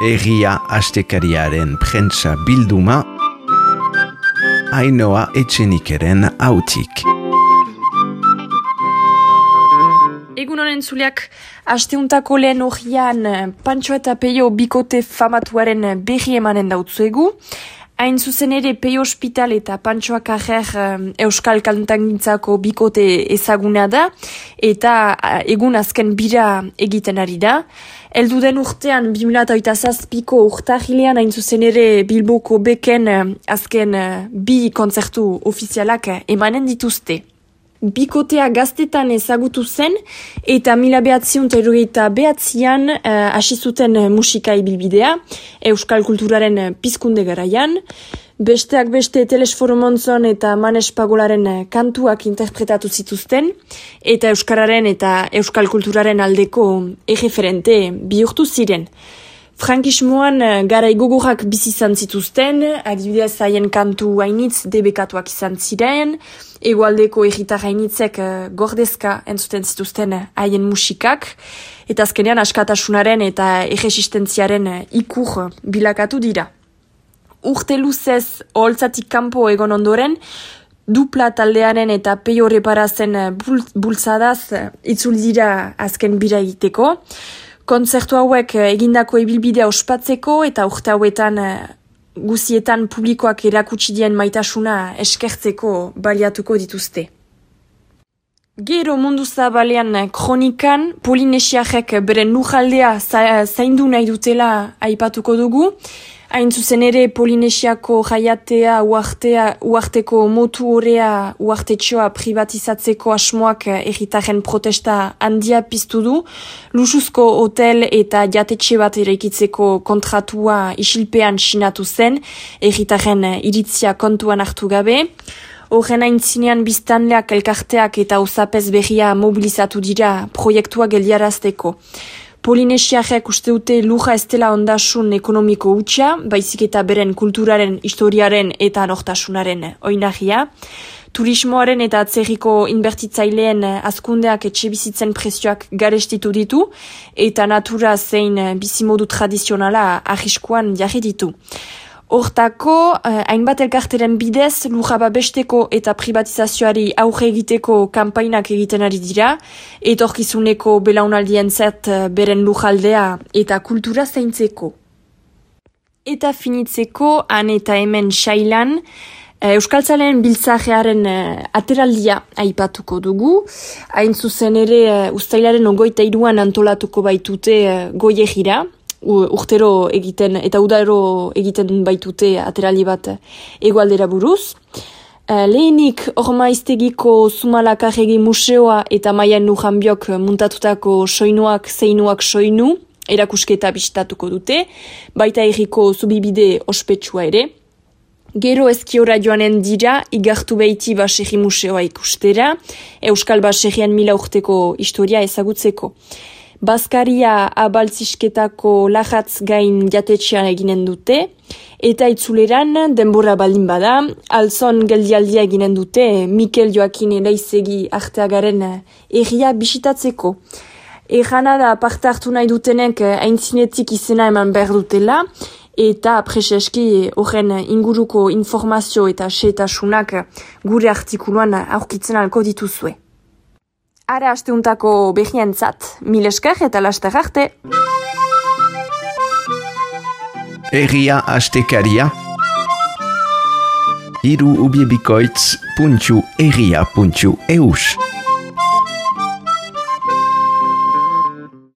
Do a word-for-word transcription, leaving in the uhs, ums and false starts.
Egia astekariaren prentsa bilduma, Ainhoa Etxenikeren hautik. Egun honen zuleak, asteuntako lehen horian Pantxo eta Peio bikote famatuaren berri emanen dautzuegu. Hain zuzen ere Peio Hospital eta Pantxo Akarrer Euskal Kantangintzako bikote ezaguna da, eta egun azken bira egiten ari da. Eldu den urtean, bi mila hogeita zazpiko urtarrilean hain zuzen ere Bilboko beken azken bi kontzertu ofizialak emanen dituzte. Bikotea gaztetan ezagutu zen, eta mila behatziun terrogeita behatzian hasi zuten musika ibilbidea, Euskal kulturaren pizkunde garaian. Besteak beste Telesforo Montzon eta Manes Pagolaren kantuak interpretatu zituzten, eta Euskararen eta Euskal kulturaren aldeko erreferente bihurtu ziren. Frankismoan garai gogorrak bizi izan zituzten, adibidez haien kantu hainitz debekatuak izan ziren, hegoaldeko herritar hainitzek gordezka entzuten zituzten haien musikak, eta azkenean askatasunaren eta erresistentziaren ikur bilakatu dira. Urte luzez oholtzatik kanpo egon ondoren, dupla taldearen eta Peio Reparazen bultzadaz itzul dira azken bira egiteko. Kontzertu hauek egindako ibilbidea ospatzeko eta urte hauetan guzietan publikoak erakutsi dien maitasuna eskertzeko baliatuko dituzte. Gero mundu zabalean kronikan, Polinesiarrek beren lujaldea zaindu nahi dutela aipatuko dugu. Hain zuzen ere Polinesiako jaiatea, uartea, uarteko motu horea, uartetxoa privatizatzeko asmoak herritarren protesta handia piztu du, luxuzko hotel eta jatetxe bat eraikitzeko kontratua isilpean sinatu zen, herritarren iritzia kontuan hartu gabe. Horren aintzinean biztanleak elkarteak eta osapez berria mobilizatu dira proiektua geldiarazteko. Polinesiarrek uste dute lurra ez dela ondasun ekonomiko hutsa, baizik eta beren kulturaren, historiaren eta nortasunaren oinarria. Turismoaren eta atzerriko inbertitzaileen hazkundeak etxebizitzen prezioak garestitu ditu, eta natura zein bizimodu tradizionala arriskuan jarri ditu. Hortako, hainbat elkarteren bidez, lurra babesteko eta privatizazioari aurre egiteko kanpainak egiten ari dira, etorkizuneko belaunaldien zert beren lujaldea eta kultura zaintzeko. Eta finitzeko, han eta hemen sailan, Euskaltzaleen biltzajearen ateraldia aipatuko dugu. Hain zuzen ere, uztailaren ogoita iruan antolatuko baitute goiegira, urtero egiten eta udaro egiten baitute ateraldi bat hegoaldera buruz. Lehenik Ormaiztegiko Zumalakarregi museoa eta Maian Lujanbiok muntatutako soinuak zeinuak soinu erakusketa bisitatuko dute, baita herriko zubibide ospetsua ere. Gero ezkiora joanen dira, igartu behiti baserri museoa ikustera, Euskal baserrian mila urteko historia ezagutzeko. Baskaria abaltzisketako lajatz gain jatetxean eginen dute, eta itzuleran denbora baldin bada, alzon geldialdia eginen dute Mikel Joakin Eleizegi arteagaren erria bisitatzeko. Errana da parte hartu nahi dutenek aintzinetik izena eman behar dutela, eta preseski horren inguruko informazio eta xeetasunak gure artikuluan aurkitzen alko dituzue. Ara asteuntako behientzat, mil esker eta laster arte. Egia astekaria, hiru ubiebikoitz puntu egia puntu eus.